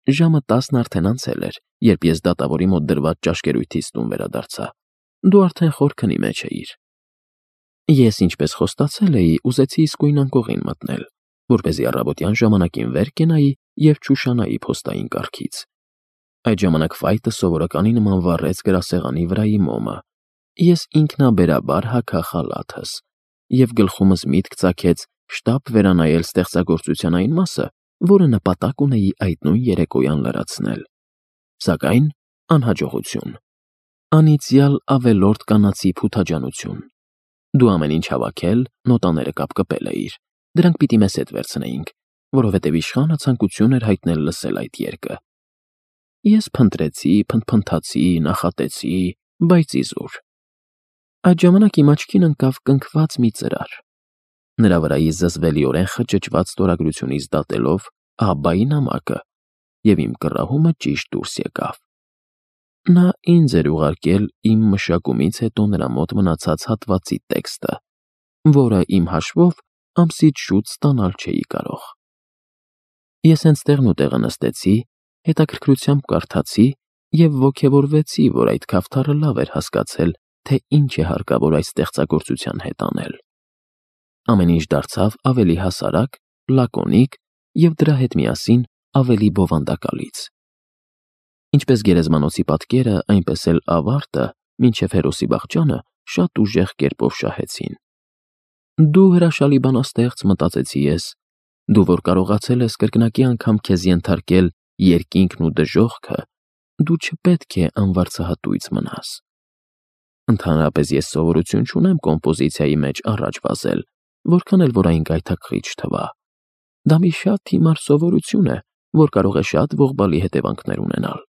ժամը 10-ն արդեն անցել էր, երբ ես դատավորի մոտ դրված ճաշկերույթից տուն վերադարձա։ Դու արդեն խորքնի մեջ էիր։ Ես, ինչպես խոստացել էի, ուզեցի իսկույն անկողին մտնել, որպեսզի առավոտյան ժամանակին վեր կենայի և չուշանայի փոստային կարգից։ Այդ ժամանակ ֆայտը սովորականի նման վառեց գրասեղանի վրայի մոմը։ Ես ինքնաբերաբար հագա խալաթս և գլխումս միտք ծագեց շտապ վերանայել ստեղծագործության այն մասը, որը նպատակ ունեի այդ նույն երեկոյան լրացնել։ Սակայն անհաջողություն։ Անիծյալ ավելորդ կանացի փութաջանություն։ Դու ամեն ինչ հավաքել, նոտաները կապկպել էիր։ Դրանք պիտի մեզ հետ վերցնեինք, որովհետև իշխանը ցանկություն էր հայտնել լսել այդ երգը։ Ես փնտրեցի, փնթփնթացի, նախատեցի, բայց իզուր։ Այդ ժամանակ իմ աչքին ընկավ կնքված մի ծրար։ Նրա վրայից զզվելիորեն խճճված ստորագրությունից դատելով աբայի նամակը, և իմ կռահումը ճիշտ դուրս եկավ։ Նա ինձ էր ուղարկել իմ մշակումից հետո նրա մոտ մնացած հատվածի տեքստը, որը իմ հաշվով ամսից շուտ ստանալ չէի կարող։ Ես հենց տեղնուտեղը նստեցի, հետաքրքրությամբ կարդացի և ոգևորվեցի, որ այդ քավթառը լավ էր հասկացել, թե ինչ է հարկավոր այս ստեղծագործության հետ անել։ Ամեն ինչ դարձավ ավելի հասարակ, լակոնիկ և դրա հետ միասին ավելի բովանդակալից։ Ինչպես գերեզմանոցի պատկերը, այնպես էլ ավարտը, մինչև հերոսի վախճանը, շատ ուժեղ կերպով շահեցին։ Դու հրաշալի բանաստեղծ, մտածեցի ես, դու որ կարողացել ես կրկնակի անգամ քեզ ենթարկել երկինքն ու դժոխքը, դու չպետք է անվարձահատույց մնաս։ Ընդհանրապես ես սովորություն չունեմ կոմպոզիցիայի մեջ առաջ վազել, որքան էլ որ այն գայթակղիչ թվա։ Դա մի շատ հիմար սովորություն է, որ կարող է շատ ողբալի հետևանքներ ունենալ։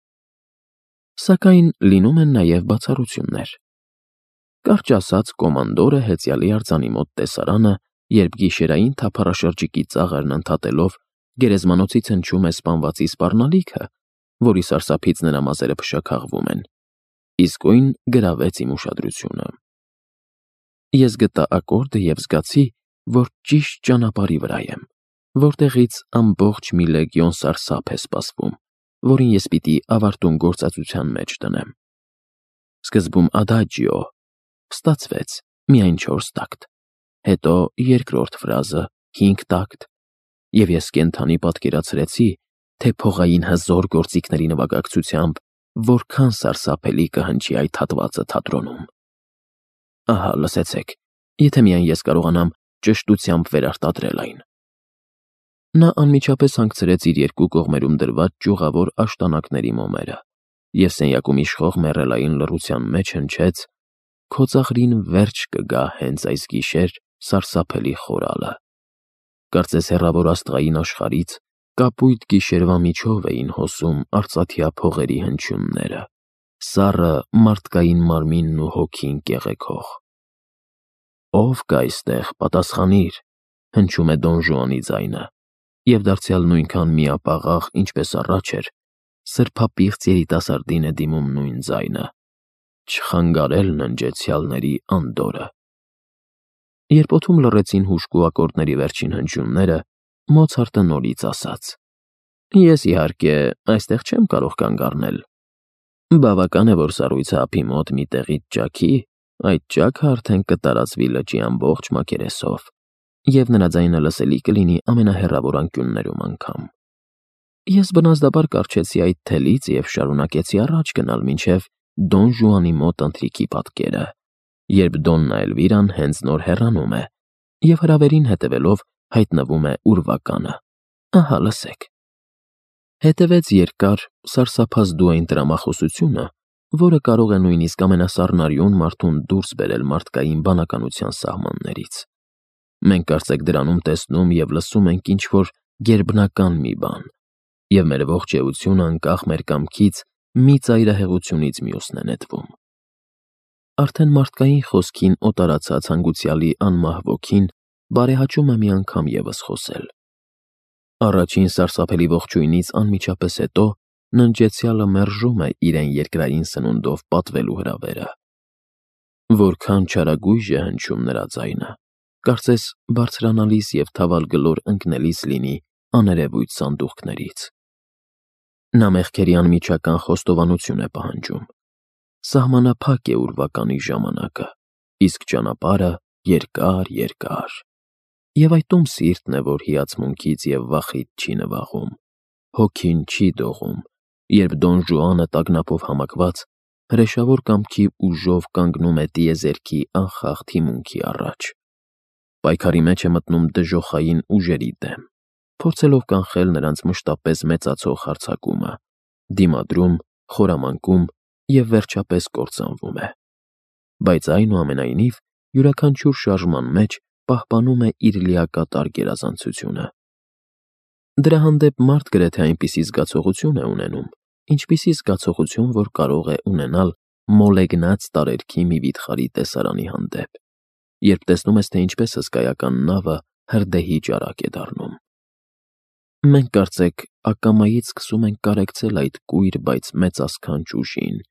Սակայն լինում են նաև բացառություններ։ Կարճ ասած, կոմանդորը հեծյալի արձանի մոտ տեսարանը, երբ գիշերային թափառաշրջիկի ծաղրն ընդհատելով գերեզմանոցից հնչում է սպանվածի սպառնալիքը, որի սարսափից նրա մազերը փշաքաղվում են, իսկույն գրավեց իմ ուշադրությունը։ Ես գտա ակորդը և զգացի, որ ճիշտ ճանապարհի վրա եմ, որտեղից ամբողջ մի լեգիոն սարսափ է սպասվում, որին ես պիտի ավարտուն գործածության մեջ դնեմ։ Սկզբում ադաջիո, ստացվեց միայն 4 տակտ, հետո երկրորդ ֆրազը 5 տակտ, և ես կենդանի պատկերացրեցի, թե փողային հզոր գործիքների նվագակցությամբ որքան սարսափելի կհնչի այդ հատվածը թատրոնում։ Ահա, լսեցեք, եթե միայն ես կարողանամ ճշտությամբ վերարտադրել այն։ Նա անմիջապես հանգցրեց իր երկու կողմերում դրված ճյուղավոր աշտանակների մոմերը և սենյակում իշխող մեռելային լռության մեջ հնչեց. «Քո ծաղրին վերջ կգա հենց այս գիշեր սարսափելի խորալը»։ Կարծես հեռավոր աստղային աշխարհից կապույտ գիշերվա միջով էին հոսում արծաթյա փողերի հնչյունները, սառը մարդկային մարմինն ու հոգին կեղեքող։ «Ո՞վ կա այստեղ, պատասխանիր», հնչում է Դոն Ժուանի ձայնը, և դարձյալ նույնքան միապաղաղ, ինչպես առաջ էր, սրբապիղծ երիտասարդին է դիմում նույն ձայնը. «Չխանգարել ննջեցյալների անդորրը»։ Երբ օդում լռեցին հուժկու ակորդների վերջին հնչյունները, Մոցարտը նորից ասաց. «Ես, իհարկե, այստեղ չեմ կարող կանգ առնել։ Բավական է, որ սառույցը ափի մոտ մի տեղից ճաքի, այդ ճաքը արդեն կտարածվի լճի ամբողջ մակերեսով, և նրա ձայնը լսելի կլինի ամենահեռավոր անկյուններում անգամ»։ Ես բնազդաբար կառչեցի այդ թելից և շարունակեցի առաջ գնալ մինչև Դոն Ժուանի մոտ ընթրիքի պատկերը, երբ Դոննա Էլվիրան հենց նոր հեռանում է, և հրավերին հետևելով հայտնվում է ուրվականը։ Ահա, լսեք։ Հետևեց երկար, սարսափազդու այն տրամախոսությունը, որը կարող է նույնիսկ ամենասառնարյուն մարդուն դուրս բերել մարդկային բանականության սահմաններից։ Մենք կարծեք դրանում տեսնում և լսում ենք ինչ-որ գերբնական մի բան, և մեր ողջ էությունը անկախ մեր կամքից մի ծայրահեղությունից մյուսն է նետվում։ Արդեն մարդկային խոսքին օտարացած հանգուցյալի անմահ ոգին բարեհաճում է մի անգամ ևս խոսել։ Առաջին սարսափելի ողջույնից անմիջապես հետո ննջեցյալը մերժում է իրեն երկրային սնունդով պատվելու հրավերը։ Որքան չարագույժ է հնչում նրա ձայնը, կարծես բարձրանալիս և թավալ գլոր ընկնելիս լինի աներևույթ սանդուղքներից։ Նա մեղքերի անմիջական խոստովանություն է պահանջում։ Սահմանափակ է ուրվականի ժամանակը, իսկ ճանապարհը երկար։ Եվ այդում սիրտն է, որ հիացմունքից եւ վախից չի նվաղում, հոգին չի դողում, երբ Դոն Ժուանը տագնապով համակված հրեշավոր կամքի ուժով կանգնում է տիեզերքի անխախտ հիմունքի առաջ։ Պայքարի մեջ է մտնում դժոխային ուժերի դեմ, փորձելով կանխել նրանց մշտապես մեծացող հարձակումը, դիմադրում, խորամանկում և վերջապես կործանվում է։ Բայց այնուամենայնիվ յուրաքանչյուր շարժման մեջ պահպանում է իր լիակատար գերազանցությունը։ Դրա հանդեպ մարդ գրեթե այնպիսի զգացողություն է ունենում, ինչպիսի զգացողություն, որ կարող է ունենալ մոլեգնած տարերքի մի վիթխարի տեսարանի հանդեպ, երբ տեսնում ես, թե ինչպես հսկայական նավը հրդեհի ճարակ է դառնում։ Մենք կարծեք ակամայից սկսում ենք կարեկցել այդ կույր, բայց մեծասքանչ ուժին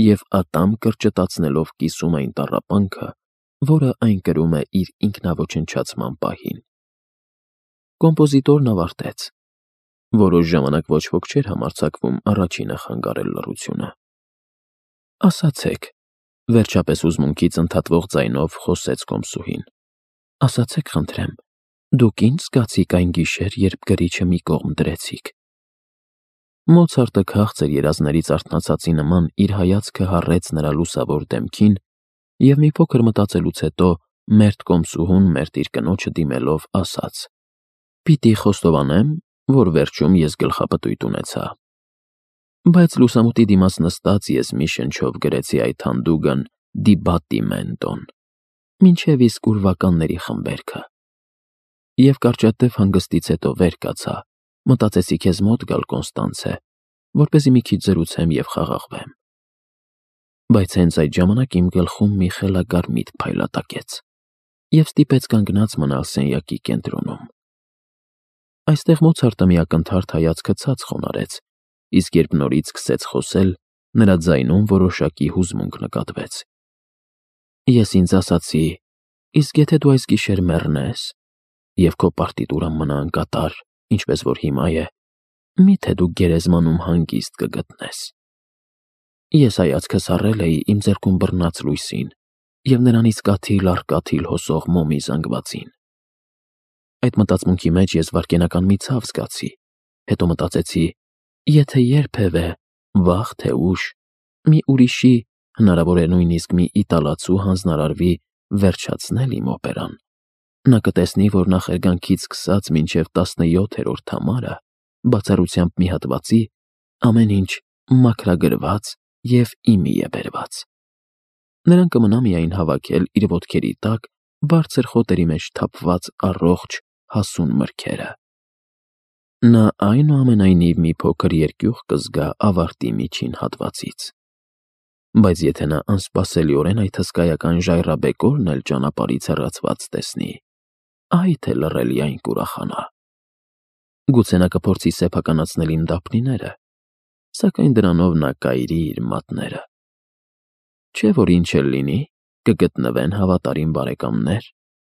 և ատամ կրճտացնելով կիսում այն տառապանքը, որը այն կրում է իր ինքնաոչնչացման պահին։ Կոմպոզիտորն ավարտեց։ Որոշ ժամանակ ոչ ոք չէր համարձակվում առաջինը խանգարել լռությունը։ Ասացեք, վերջապես հուզմունքից ընդհատվող ձայնով խոսեց կոմսուհին։ Ասացեք, խնդրեմ, դուք ինչ զգացիք այն գիշեր, երբ գրիչը մի կողմ դրեցիք։ Մոցարտը քաղցր երազներից արթնացածի նման իր հայացքը հառեց նրա լուսավոր դեմքին և մի փոքր մտածելուց հետո մերթ կոմսուհուն մերթ իր կնոջը դիմելով ասաց. «Պիտի խոստովանեմ, որ վերջում ես գլխապտույտ ունեցա։ Բայց լուսամուտի դիմաց նստած ես մի շնչով գրեցի այդ հանդուգն դիբատիմենտոն, մինչև իսկ ուրվականների խմբերքը։ Եվ կարճատև հանգստից հետո վեր կացա, մտածեցի քեզ մոտ գալ, Կոնստանցե, որպեսզի մի քիչ զրուցեմ և խաղաղվեմ։ Բայց հենց այդ ժամանակ իմ գլխում մի խելագար միտք փայլատակեց և ստիպեց կանգնած մնալ սենյակի կենտրոնում»։ Այստեղ Մոցարտը մի ակնթարթ հայացքը ցած խոնարհեց, իսկ երբ նորից սկսեց խոսել, նրա ձայնում որոշակի հուզմունք նկատվեց։ Ես ինձ ասացի. «Իսկ եթե դու այս գիշեր մեռնես, և քո պարտիտուրան մնա անկատար, ինչպես որ հիմա է, մի՞թե դու գերեզմանում հանգիստ կգտնես»։ Ես հայացքս առել էի իմ ձեռքում բռնած լույսին և նրանից կաթիլ առ կաթիլ հոսող մոմի զանգվածին։ Այդ մտածմունքի մեջ ես վայրկենական մի ցավ զգացի, հետո մտածեցի. եթե երբևէ, վաղ թե ուշ, մի ուրիշի, հնարավոր է նույնիսկ մի իտալացու հանձնարարվի վերջացնել իմ օպերան, նա կտեսնի, որ նախերգանքից սկսած մինչև 17-րդ համարը, բացառությամբ մի հատվածի, ամեն ինչ մաքրագրված և իմի է բերված։ Նրան կմնա միայն հավաքել իր ոտքերի տակ բարձր խոտերի մեջ թափված առողջ, հասուն մրգերը։ Նա այնուամենայնիվ մի փոքր երկյուղ կզգա ավարտի միջին հատվածից։ Բայց եթե նա անսպասելիորեն այդ հսկայական ժայռաբեկորն էլ ճանապարհից հեռացված տեսնի, այ թե լռելի այն կուրախանա։ Գուցե նա կփորձի սեփականացնել իմ դափնիները, սակայն դրանով նա կայրի իր մատները։ Չէ՞ որ ինչ էլ լինի, կգտնվեն հավատարիմ բարեկամներ,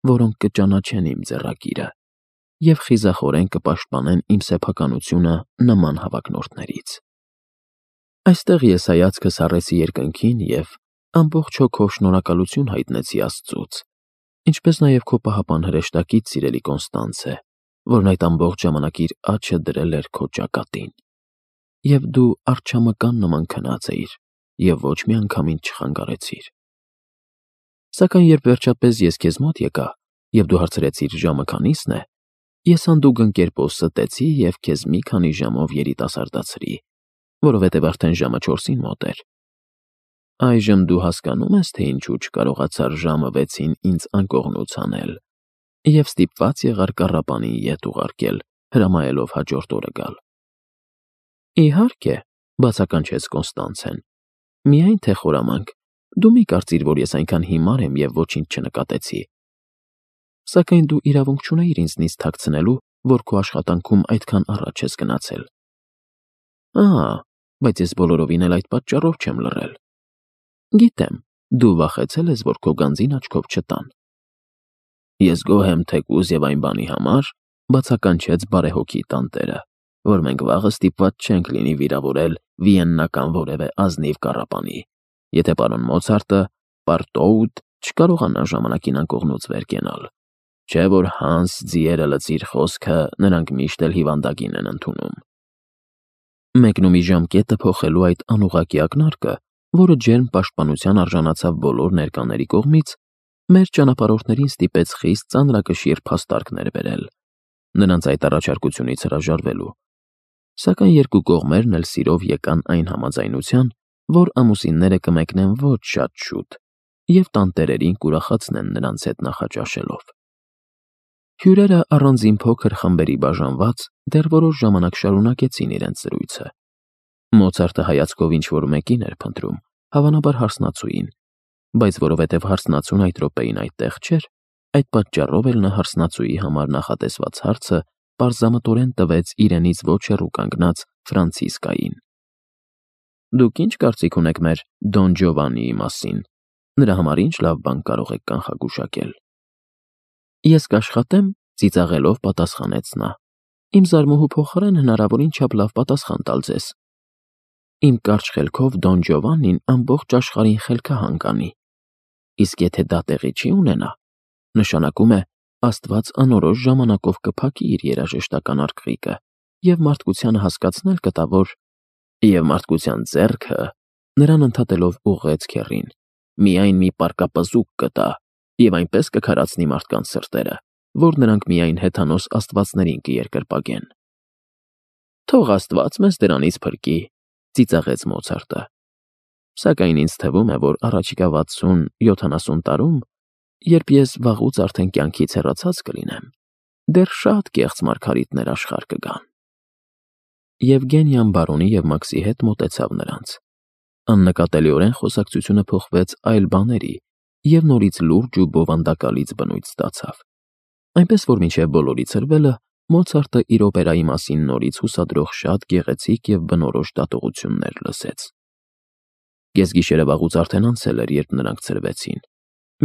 որոնք կճանաչեն իմ ձեռագիրը և խիզախորեն կպաշտպանեն իմ սեփականությունը նման հավակնորդներից։ Այստեղ ես հայացքս առեցի երկնքին և ամբողջ հոգով շնորհակալություն հայտնեցի Աստծուց, ինչպես նաև քո պահապան հրեշտակից, սիրելի Կոնստանցե, որն այդ ամբողջ ժամանակ իր աջը դրել էր քո ճակատին։ Եվ դու արջամկան նման քնած էիր և ոչ մի անգամ ինձ չխանգարեցիր։ Սակայն երբ վերջապես ես քեզ մոտ եկա, և դու հարցրեցիր ժամը քանիսն է, ես հանդուգն կերպով ստեցի և քեզ մի քանի ժամով երիտասարդացրի, որովհետև արդեն ժամը 4-ին մոտ էր։ Այժմ դու հասկանո՞ւմ ես, թե ինչու չկարողացար ժամը 6-ին ինձ անկողնուց անել և ստիպված եղար կառապանին ետ ուղարկել, հրամայելով հաջորդ օրը գալ։ Իհարկե, բացականչեց Կոնստանցեն, միայն թե խորամանկ, դու մի կարծիր, որ ես այնքան հիմար եմ և ոչինչ չնկատեցի։ Սակայն դու իրավունք չունեիր ինձնից թաքցնելու, որ քո աշխատանքում այդքան առաջ ես գնացել։ Բայց ես բոլորովին էլ այդ պատճառով չեմ լռել։ Գիտեմ, դու վախեցել ես, որ քո գանձին աչքով չտան։ Ես գոհ եմ թեկուզ և այն բանի համար, բացականչեց բարեհոգի տանտերը, որ մենք վաղը ստիպված չենք լինի վիրավորել վիեննական որևէ ազնիվ կառապանի, եթե պարոն Մոցարտը պարտոուտ չկարողանա ժամանակին անկողնուց վեր կենալ, չէ որ Հանս ձիերը լծիր խոսքը նրանք միշտ էլ հիվանդագին են ընդունում։ Մեկնումի ժամկետը փոխելու այդ անուղղակի ակնարկը, որը ջերմ պաշտպանության արժանացավ բոլոր ներկաների կողմից, մեր ճանապարհորդներին ստիպեց խիստ ծանրակշիռ փաստարկներ բերել, նրանց այդ առաջարկությունից հրաժարվելու, սակայն երկու կողմերն էլ սիրով եկան այն համաձայնության, որ ամուսինները կմեկնեն ոչ շատ շուտ և տանտերերին կուրախացնեն նրանց հետ նախաճաշելով։ Հյուրերը առանձին փոքր խմբերի բաժանված դեռ որոշ ժամանակ շարունակեցին իրենց զրույցը։ Մոցարտը հայացքով ինչ-որ մեկին էր փնտրում, հավանաբար հարսնացուին, բայց որովհետև հարսնացուն այդ րոպեին այդտեղ չէր, այդ պատճառով էլ նա հարսնացուի համար նախատեսված հարցը պարզամտորեն տվեց իրենից ոչ հեռու կանգնած Ֆրանցիսկային։ Դուք ինչ կարծիք ունեք մեր Դոն Ջովանիի մասին, նրա համար ինչ լավ բան կարող եք կանխագուշակել։ Ես կաշխատեմ, ծիծաղելով պատասխանեց նա։ Իմ զարմուհու փոխարեն հնարավորին չափ լավ պատասխան տալ ձեզ։ Իմ կարճ խելքով Դոն Ջովանին ամբողջ աշխարհին խելքահան կանի։ Իսկ եթե դա տեղի չի ունենա, նշանակում է Աստված անորոշ ժամանակով կփակի իր երաժշտական արկղիկը և մարդկությանը հասկացնել կտա, որ և մարդկության ձեռքը նրան ընդհատելով ուղղեց քեռին, միայն մի պարկապզուկ կտա և այնպես կքարացնի մարդկանց սրտերը, որ նրանք միայն հեթանոս աստվածներին կերկրպագեն։ Թող Աստված մեզ դրանից փրկի, ծիծաղեց Մոցարտը։ Սակայն ինձ թվում է, որ առաջիկա 60-70 տարում, երբ ես վաղուց արդեն կյանքից հեռացած կլինեմ, դեռ շատ կեղծ մարգարիտներ աշխարհ կգան։ Եվգենիան բարոնի և Մաքսի հետ մոտեցավ նրանց։ Աննկատելիորեն խոսակցությունը փոխվեց այլ բաների և նորից լուրջ ու բովանդակալից բնույթ ստացավ։ Այնպես որ մինչև բոլորի ցրվելը Մոցարտը իր օպերայի մասին նորից հուսադրող շատ գեղեցիկ և բնորոշ դատողություններ լսեց։ Կեսգիշերը վաղուց արդեն անցել էր, երբ նրանք ցրվեցին։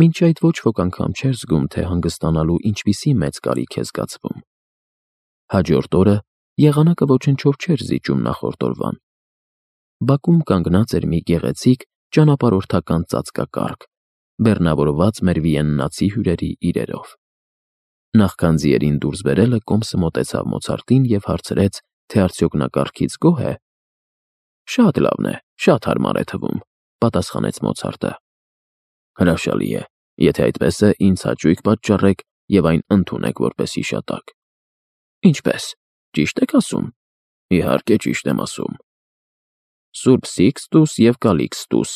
Մինչ այդ ոչ ոք անգամ չէր զգում, թե հանգստանալու ինչպիսի մեծ կարիք է զգացվում։ Հաջորդ օրը եղանակը ոչնչով չէր զիջում նախորդ օրվան։ Բակում կանգնած էր մի գեղեցիկ ճանապարհորդական ծածկակառք, բեռնավորված մեր վիեննացի հյուրերի իրերով։ Նախքան ձիերին դուրս բերելը կոմսը մոտեցավ Մոցարտին և հարցրեց, թե արդյոք նա կառքից գոհ է։ Շատ լավն է, շատ հարմար է թվում, պատասխանեց Մոցարտը։ Հրաշալի է, եթե այդպես է, ինձ հաճույք պատճառեք և այն ընդունեք որպես հիշատակ։ Ինչպես, ճիշտ եք ասում։ Իհարկե ճիշտ եմ ասում։ Սուրբ Սիկստուս և Կալիքստուս,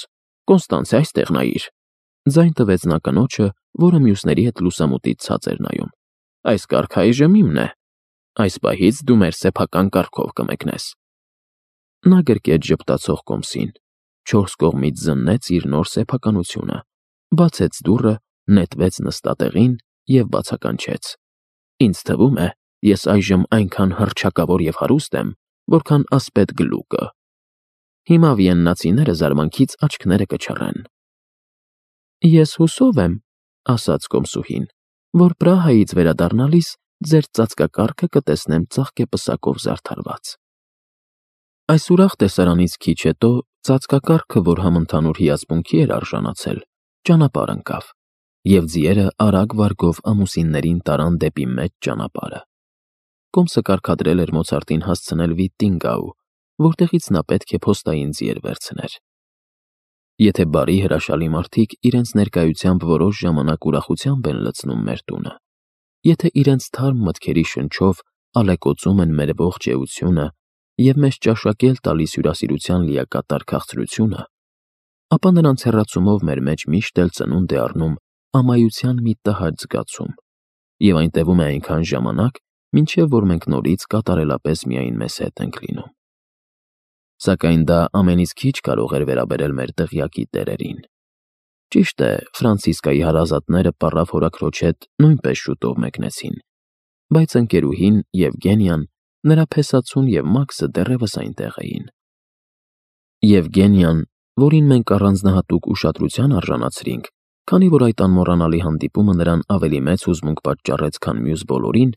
Կոնստանցե այստեղ նայիր։ Ձայն տվեց նա կնոջը, որը մյուսների հետ լուսամուտից ցած էր նայում։ Այս կառքը այժմ իմն է։ Այս պահից դու մեր սեփական կառքով կմեկնես։ Նա գրկեց ժպտացող կոմսին, չորս կողմից զննեց իր նոր սեփականությունը, բացեց դուռը, նետվեց նստատեղին և բացականչեց։ Ինձ թվում է, ես այժմ այնքան հռչակավոր և հարուստ եմ, որքան ասպետ գլուկը։ Հիմա վիեննացիները զարմանքից աչքները կչռեն։ Ես հուսով եմ, ասաց կոմսուհին, որ Պրահայից վերադառնալիս ձեր ծածկակառքը կտեսնեմ ծաղկեպսակով զարդարված։ Այս ուրախ տեսարանից քիչ հետո ծածկակառքը, որ համընդհանուր հիացմունքի էր արժանացել, ճանապարհ ընկավ, և ձիերը արագ վարգով ամուսիններին տարան դեպի մեծ ճանապարհը։ Կոմսը կարգադրել էր Մոցարտին հասցնել Վիտտինգաու, որտեղից նա պետք է փոստային ձիեր վերցներ։ Եթե բարի հրաշալի մարդիկ իրենց ներկայությամբ որոշ ժամանակ ուրախությամբ են լցնում մեր տունը, եթե իրենց թարմ մտքերի շնչով ալեկոծում են մեր ողջ էությունը և մեզ ճաշակել տալիս հյուրասիրության լիակատար քաղցրությունը, ապա նրանց հեռացումով մեր մեջ միշտ էլ ծնունդ է առնում ամայության մի տհաճ զգացում, և այն տևում է այնքան ժամանակ, մինչև որ մենք նորից կատարելապես միայն մեզ հետ ենք լինում։ Սակայն դա ամենից քիչ կարող էր վերաբերել մեր դղյակի տերերին։ Ճիշտ է, Ֆրանցիսկայի հարազատները պառավ հորաքրոջ հետ նույնպես շուտով մեկնեցին, բայց ընկերուհին Եվգենիան, նրա փեսացուն և Մաքսը դեռևս այնտեղ էին։ Եվգենիան, որին մենք առանձնահատուկ ուշադրության արժանացրինք, քանի որ այդ անմոռանալի հանդիպումը նրան ավելի մեծ հուզմունք պատճառեց, քան մյուս բոլորին,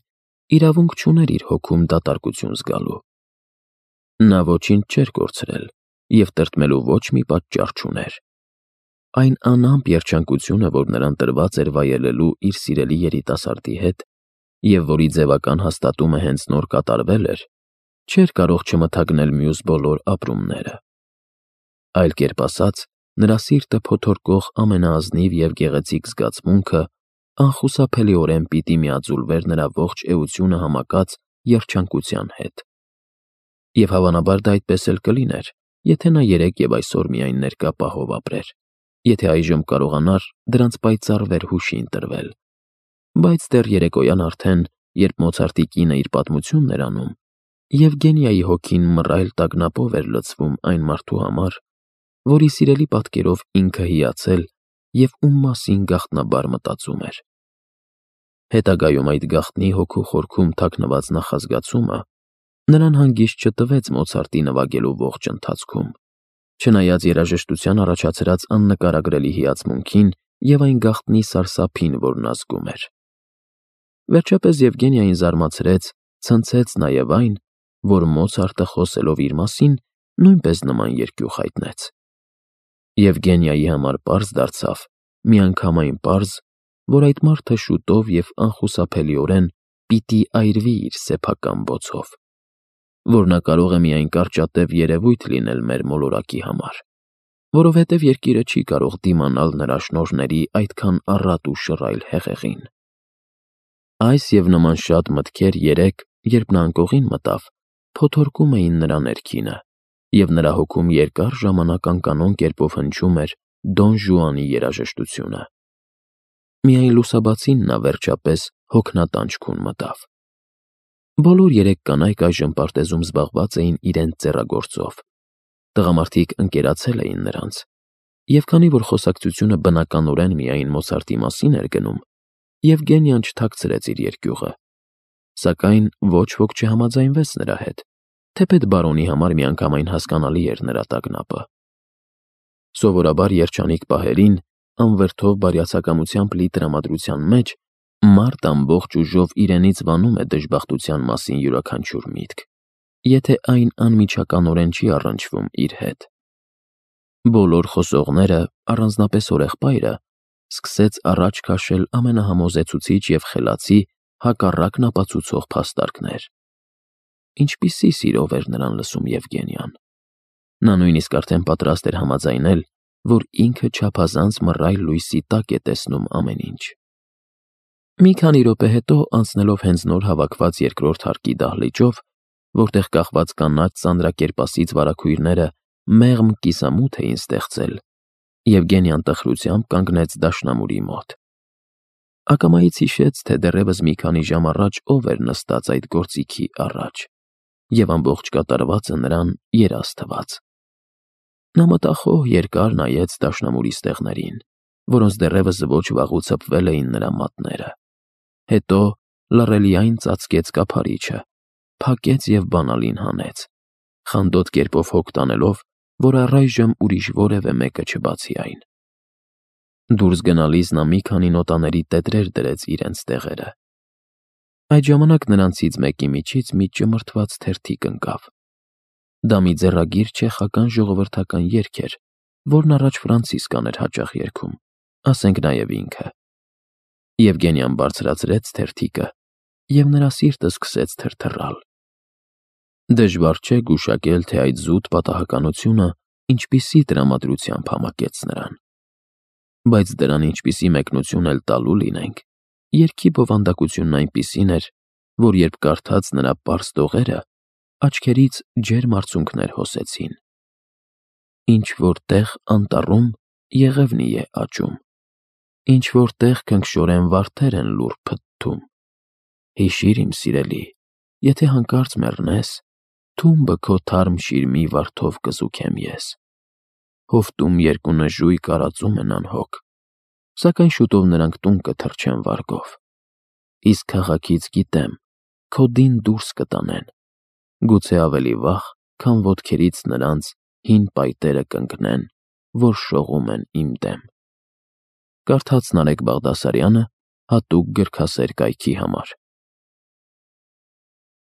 իրավունք չուներ իր հոգում դատարկություն զգալու, Նա ոչինչ չէր կորցրել և տրտմելու ոչ մի պատճառ չուներ։ Այն անամպ երջանկությունը, որ նրան տրված էր վայելելու իր սիրելի երիտասարդի հետ, և որի ձևական հաստատումը հենց նոր կատարվել էր, չէր կարող չմթագնել մյուս բոլոր ապրումները։ Այլ կերպ ասած, նրա սիրտը փոթորկող ամենաազնիվ և գեղեցիկ զգացմունքը անխուսափելիորեն պիտի միաձուլվեր նրա ողջ էությունը համակած երջանկության հետ։ Եվ հավանաբար դա այդպես էլ կլիներ, եթե նա երեկ և այսօր միայն ներկա պահով ապրեր, եթե այժմ կարողանար դրանց պայծառ վերհուշի ընտրվել։ Բայց դեռ երեկոյան արդեն, երբ Մոցարտի կինը իր պատմությունն էր անում, Եվգենիայի հոգին մռայլ տագնապով էր լցվում այն մարդու համար, որի սիրելի պատկերով ինքը հիացել և ում մասին գաղտնաբար մտածում էր։ Հետագայում այդ գաղտնի հոգու խորքում թաքնված նախազգացումը նրան հանգիստ չտվեց Մոցարտի նվագելու ողջ ընթացքում, չնայած երաժշտության առաջացրած աննկարագրելի հիացմունքին և այն գաղտնի սարսափին, որ նա զգում էր։ Վերջապես Եվգենիային զարմացրեց, ցնցեց նաև այն, որ Մոցարտը խոսելով իր մասին նույնպես նման երկյուղ հայտնեց։ Եվգենիայի համար պարզ դարձավ, միանգամայն պարզ, որ այդ մարդը շուտով և անխուսափելիորեն պիտի այրվի իր սեփական բոցով, որ նա կարող է միայն կարճատև երևույթ լինել մեր մոլորակի համար, որովհետև երկիրը չի կարող դիմանալ նրա շնորհների այդքան առատ ու շռայլ հեղեղին։ Այս և նման շատ մտքեր երեկ, երբ նա անկողին մտավ, փոթորկում էին նրա ներքինը, և նրա հոգում երկար ժամանակ անկանոն կերպով հնչում էր Դոն Ժուանի երաժշտությունը։ Միայն լուսաբացին նա վերջապես հոգնատանջքուն մտավ։ Բոլոր երեք կանայք այժմ պարտեզում զբաղված էին իրենց ձեռագործով։ Տղամարդիկ ընկերացել էին նրանց, և քանի որ խոսակցությունը բնականորեն միայն Մոցարտի մասին էր գնում, Եվգենիան չթաքցրեց իր երկյուղը, սակայն ոչ ոք չհամաձայնվեց նրա հետ, թեպետ բարոնի համար միանգամայն հասկանալի էր նրա տագնապը։ Սովորաբար երջանիկ պահերին, անվրդով բարյացակամությամբ լի տրամադրության մեջ, մարդ ամբողջ ուժով իրենից վանում է դժբախտության մասին յուրաքանչյուր միտք, եթե այն անմիջականորեն չի առնչվում իր հետ։ Բոլոր խոսողները, առանձնապես օրեղպայրը, սկսեց առաջ քաշել ամենահամոզեցուցիչ և խելացի հակառակն ապացուցող փաստարկներ։ Ինչպիսի սիրով էր նրան լսում Եվգենիան։ Նա նույնիսկ արդեն պատրաստ էր համաձայնել, որ ինքը չափազանց մռայլ լույսի տակ է տեսնում ամեն ինչ։ Մի քանի րոպե հետո, անցնելով հենց նոր հավաքված երկրորդ հարկի դահլիճով, որտեղ կախված կանաչ ծանրակերպասից վարագույրները մեղմ կիսամութ էին ստեղծել, Եվգենիան տխրությամբ կանգնեց դաշնամուրի մոտ։ Ակամայից հիշեց, թե դեռևս մի քանի ժամ առաջ ով էր նստած այդ գործիքի առաջ, և ամբողջ կատարվածը նրան երազ թվաց։ Նա մտախոհ երկար նայեց դաշնամուրի ստեղներին, որոնց դեռևս ոչ վաղուց հպվել էին նրա մատները։ Հետո լռելիայն ծածկեց կափարիչը, փակեց և բանալին հանեց, խանդոտ կերպով հոգ տանելով, որ առայժմ ուրիշ որևէ մեկը չբացի այն։ Դուրս գնալիս նա մի քանի նոտաների տետրեր դրեց իրենց տեղերը։ Այդ ժամանակ նրանցից մեկի միջից մի ճմրթված թերթիկ ընկավ։ Դա մի ձեռագիր չեխական ժողովրդական երգ էր, որն առաջ Ֆրանցիսկան էր հաճախ երգում, ասենք նաև ինքը։ Եվգենիան բարձրացրեց թերթիկը, և նրա սիրտը սկսեց թրթռալ։ Դժվար չէ գուշակել, թե այդ զուտ պատահականությունը ինչպիսի տրամադրությամբ համակեց նրան։ Բայց դրան ինչպիսի մեկնություն էլ տալու լինենք, երգի բովանդակությունն այնպիսին էր, որ երբ կարդաց նրա պարզ տողերը, աչքերից ջերմ արցունքներ հոսեցին։ Ինչ-որ տեղ անտառում եղևնի է աճում, ինչ-որ տեղ քնքշորեն վարդեր են լուռ փթթում։ Հիշի՛ր, իմ սիրելի, եթե հանկարծ մեռնես, թումբը քո թարմ շիրմի վարդով կզուգեմ ես։ Հովտում երկու նժույգ արածում են անհոգ, սակայն շուտով նրանք տուն կթռչեն վարգով։ Իսկ քաղաքից գիտեմ, քո դին դուրս կտանեն, գուցե ավելի վաղ, քան ոտքերից նրանց հին պայտերը կընկնեն, որ շողում են իմ դեմ։ Կարդաց Նարեկ Բաղդասարյանը հատուկ գրքասեր կայքի համար։